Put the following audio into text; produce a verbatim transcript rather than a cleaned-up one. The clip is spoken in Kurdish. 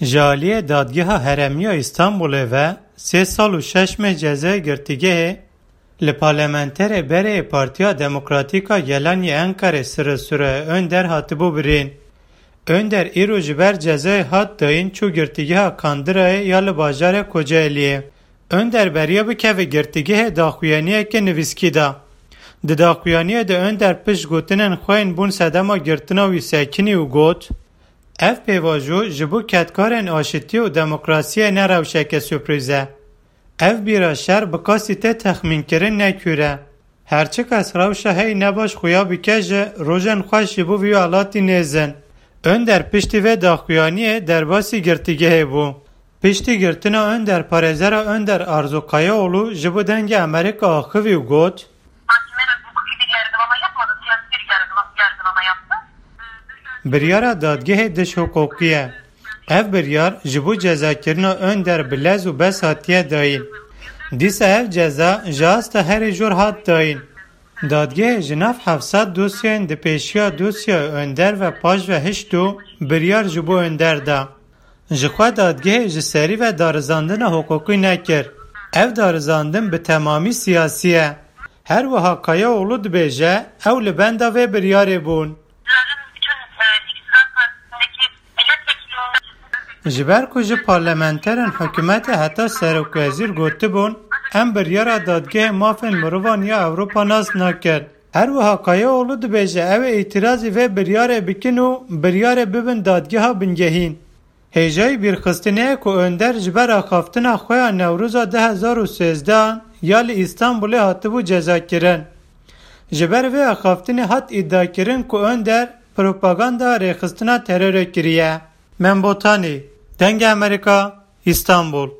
Ji aliyê Dadgeha Herêmiya Îstanbulê ve sê sal û şeş meh cezayê girtîgehê li parlamenterê berê Partiya Demokratîk a Gelan yê Enqerê Sirri Sure Önder hatibû birîn. Önder îro ji ber cezayê hat dayîn çû girtîgeha Kandirayê ya li bajarê Kocaeliyê. Önder beriya bikeve girtîgehê daxuyaniyeke nivîskî da. Di daxuyaniyê de Önder pişt gotinên xwe yên bûn sedema girtina wî sekinî û got, Ev pêvajo ji bo kedkarên aşitî û demokrasiyê ne rewşeke surprîz e. Ev bîra şer bi qasî tê texmînkirin ne kûr e. Her çi kes rewşa heyî ne baş xuya bike jî rojên xweş ji bo vî welatî nêzin. Önder piştî vê daxuyaniyê derbasî girtîgehê bû. Piştî girtina Önder parêzera Önder Arzu Kayaoğlu ji bo Dengê Amerîka axivî û got, Mahkeme hukuki bir yargılama yapmadı, siyasi bir yargıla- yargılama yaptı. Biryara dadgehê dişhiqûqî ye. Ev biryar ji bo cezakirina Önder bi lez û bes hatiye dayîn. Dîsa ev ceza ji asta herî jor hat dayîn. Dadgehê ji nav heft sed dosyayên di pêşiya dosyaya Önder ve paş ve hişt û biryar ji bo Önder da. Jixwe dadgehê ji serî ve darizandina hiqûqî nekir. Ev darizandin bi temamî siyasî ye. Her wiha Kayaoğlu dibêje, ew li benda vê biryarê bûn. Ji ber ku ji parlamenterên hikûmetê heta serokwezîr gotibûn, em biryara Dadgehê Mafên Mirovan ya Ewropa nas nakin. Her wiha Kayaoğlu dibêje, ew ê îtirazî vê biryarê bikin û biryarê bibin dadgeha bingehîn. Hêjayî bîrxistinê ye ku Önder ji ber axaftina xwe ya Newroza du hezar û sêzdeh ya li Îstanbulê hatibû cezakirin. Ji ber vê axaftinê hat îdiakirin ku Önder propaganda rêxistina terorê kiriye. Mem Botanî, Dengê Amerîka, Îstanbul.